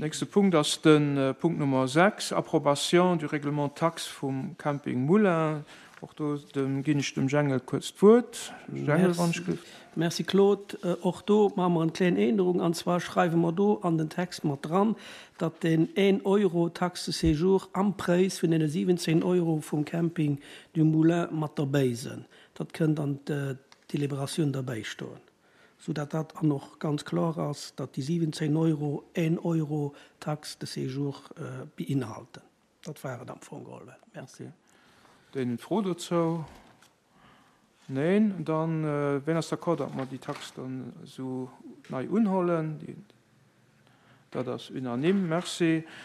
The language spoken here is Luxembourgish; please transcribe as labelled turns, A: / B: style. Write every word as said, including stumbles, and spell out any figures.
A: Nächste Punkt ass de Punkt Nummer sechs, Approbation du règlement taxe vum Camping Moulin. Och do dem ginn ech dem Jengel kuerz d'Wuert. Jengel, wann ech gelift.
B: Merci Claude. Och do maache mer eng kleng Ännerung, an zwar schreiwe mer do an den Text mat dran, datt den een Euro Taxe de séjour am Präis vun den siwwenzéng Euro vum Camping du Moulin mat derbäi sinn. Dat kënnt an d'Deliberatioun derbäi stoen, soudatt dat an och ganz kloer ass, datt déi siwwenzéng Euro een Euro Taxe de séjour beinhalten. Dat war et am Fong geholl. Merci.
A: Okay. Den Fro dozou? Neen, dann äh, wien ass d'accord, datt mer déi Tax dann esou nei unhuelen? Dat ass unanime, merci.